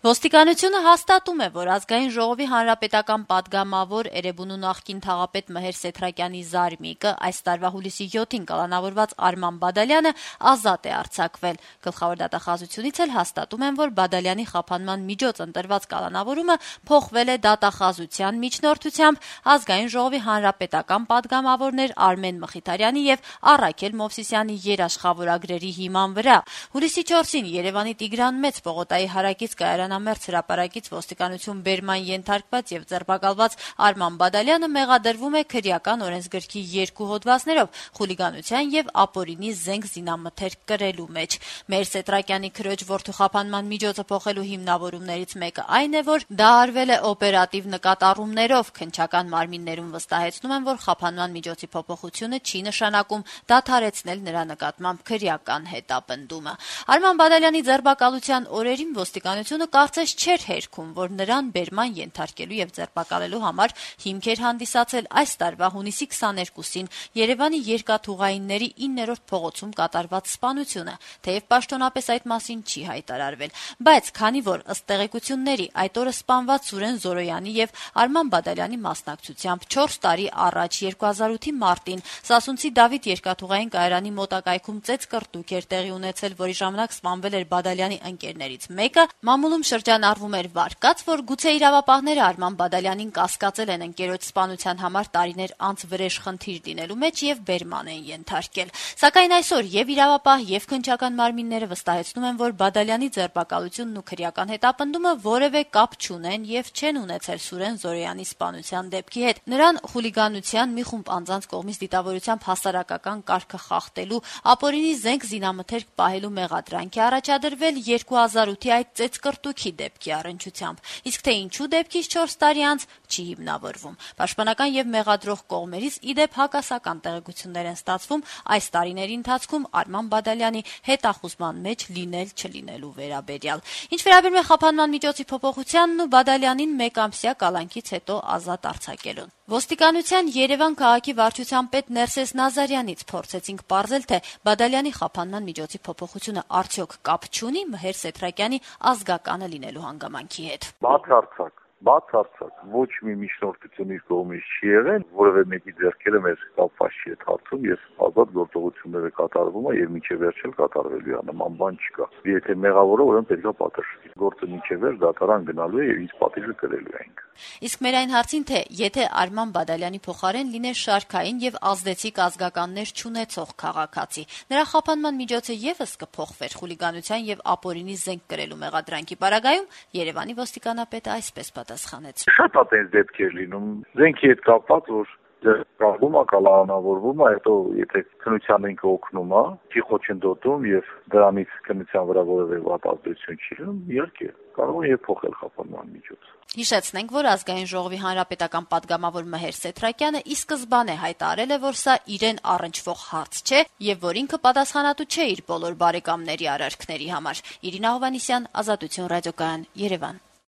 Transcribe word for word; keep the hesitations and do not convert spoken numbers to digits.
Ոստիկանությունը հաստատում է, որ ազգային ժողովի հանրապետական պատգամավոր Էրեբունու նախկին թաղապետ Մհեր Սեթրակյանի զարմիկը այս տարվա հուլիսի յոթին կալանավորված Արման Բադալյանը ազատ է արձակվել։ Գլխավոր դատախազությունից էլ հաստատում են, որ Բադալյանի խափանման միջոց ընտրված կալանավորումը փոխվել է դատախազության միջնորդությամբ ազգային ժողովի հանրապետական պատգամավորներ Արմեն Մխիթարյանի եւ Առաքել Մովսիսյանի երաշխավորագրերի հիման վրա։ Հուլիսի չորսին Երևանի Տիգրան Մեծ պողոտայի հարակից կայարան Մերձ հրապարակից ոստիկանություն բերման ենթարկված եւ ձերբակալված Արման Բադալյանը մեղադրվում է քրեական օրենսգրքի երկու հոդվածներով՝ խուլիգանության եւ ապօրինի զենք զինամթերք կրելու մեջ։ Մհեր Սեթրակյանի քրոջ որդու խափանման միջոցը փոխելու հիմնավորումներից մեկը այն է, որ դա արվել է օպերատիվ նկատառումներով։ Քննչական մարմիններում վստահեցնում են, որ խափանման միջոցի փոփոխությունը չի նշանակում դադարեցնել նրա նկատմամբ քրեական հետապնդումը։ Արման Բադալյանի ձերբակալության օրերին ոստիկանությունը կարծես չէր հերքում, որ նրան բերման ենթարկելու եւ ձերբակալելու համար հիմք էր հանդիսացել այս տարվա հունիսի քսաներկուսին Երևանի երկաթուղայինների իններորդ փողոցում կատարված սպանությունը, թեև պաշտոնապես այդ մասին չի հայտարարվել, բայց քանի որ ըստ տեղեկությունների այդ օրը սպանված Սուրեն Զորոյանի եւ Արման Բադալյանի մասնակցությամբ չորս տարի առաջ երկու հազար ութի մարտին Սասունցի Դավիթ երկաթուղային կայարանի մոտակայքում ծեծկռտուք էր տեղի ունեցել, որի ժամանակ սպանվել էր Բադալյանի ընկերներից մեկը, մամուլում շրջանառվում էր վարկած, որ գուցե իրավապահները Արման Բադալյանին կասկածել են ընկերոջ սպանության համար տարիներ անց վրեժ խնդիր դինելու մեջ եւ բերման են ենթարկել։ Սակայն այսօր եւ իրավապահ եւ քննչական մարմինները վստահեցնում են, որ Բադալյանի ձերբակալությունն ու քրեական հետապնդումը որևէ կապ չունեն եւ չեն ունեցել Սուրեն Զորոյանի սպանության դեպքի հետ։ Նրան խուլիգանության մի խումբ անձանց կողմից դիտավորությամբ հասարակական կարգը խախտելու, ապօրինի զենք զինամթերք պահելու մեղադրանք է առաջադրվել երկու հազար ութի այդ ծեծկռտուքի դեպքի առնչությամբ, իսկ թե ինչու դեպքից չորս տարի անց չի հիմնավորվում։ Պաշտպանական եւ մեղադրող կողմերից իդեպ հակասական տեղեկություններ են ստացվում այս տարիների ընթացքում Արման Բադալյանի հետախուզման մեջ լինել-չլինելու վերաբերյալ։ Ինչ վերաբերում է խափանման միջոցի փոփոխությանն ու Բադալյանին մեկամսյա կալանքից հետո ազատ արձակելուն։ Ոստիկանության Երևան քաղաքի վարչության պետ Ներսես Նազարյանից փորձեցինք պարզել, թե Բադալյանի խափանման միջոցի փոփոխությունը արդյոք կապ չունի Մհեր Սեթրակյանի ազգականը լինելու հանգամանքի հետ։ Բացարձակ, բացարձակ, ոչ մի միջնորդություն իր կողմից չի եղել, որևէ մեկի ձեռքերը մեզ կապված չի այդ հարցում, եւ ազատ գործողությունները կատարվում է եւ մինչեւ վերջ էլ կատարվելու է, նման բան չկա։ Եթե մեղավորը, ուրեմն պետք է պատժվի։ Գործը մինչեւ վերջ դատարան գնալու է եւ ինչ պատիժը կրելու ենք։ Իսկ մեր այն հարցին, թե եթե Արման Բադալյանի փոխարեն լիներ շարքային եւ ազդեցիկ ազգականներ չունեցող քաղաքացի, նրա խափանման միջոցը եւս կփոխվեր խուլիգանության եւ ապօրինի զենք կրելու մեղադրանքի պարագայում, Երևանի ոստիկանապետը այսպես պատասխանեց. Շատ այդպես դեպքեր լինում, զենքի հետ կապված, որ դրվում է, կալանավորվում է, հետո եթե քննության ինքը օգնում է, չի խոչընդոտում եւ դրանից քննության վրա որևէ վատ ազդեցություն չի լինում, իհարկե կարող է եւ փոխել խափանման միջոցը։ Հիշեցնենք, որ ազգային ժողովի հանրապետական պատգամավոր Մհեր Սեթրակյանը ի սկզբանե հայտարարել է, որ սա իրեն առնչվող հարց չէ եւ որ ինքը պատասխանատու չէ իր բոլոր բարեկամների արարքների համար։ Իրինա Հովհաննիսյան, Ազատություն ռադիոկայան, Երևան։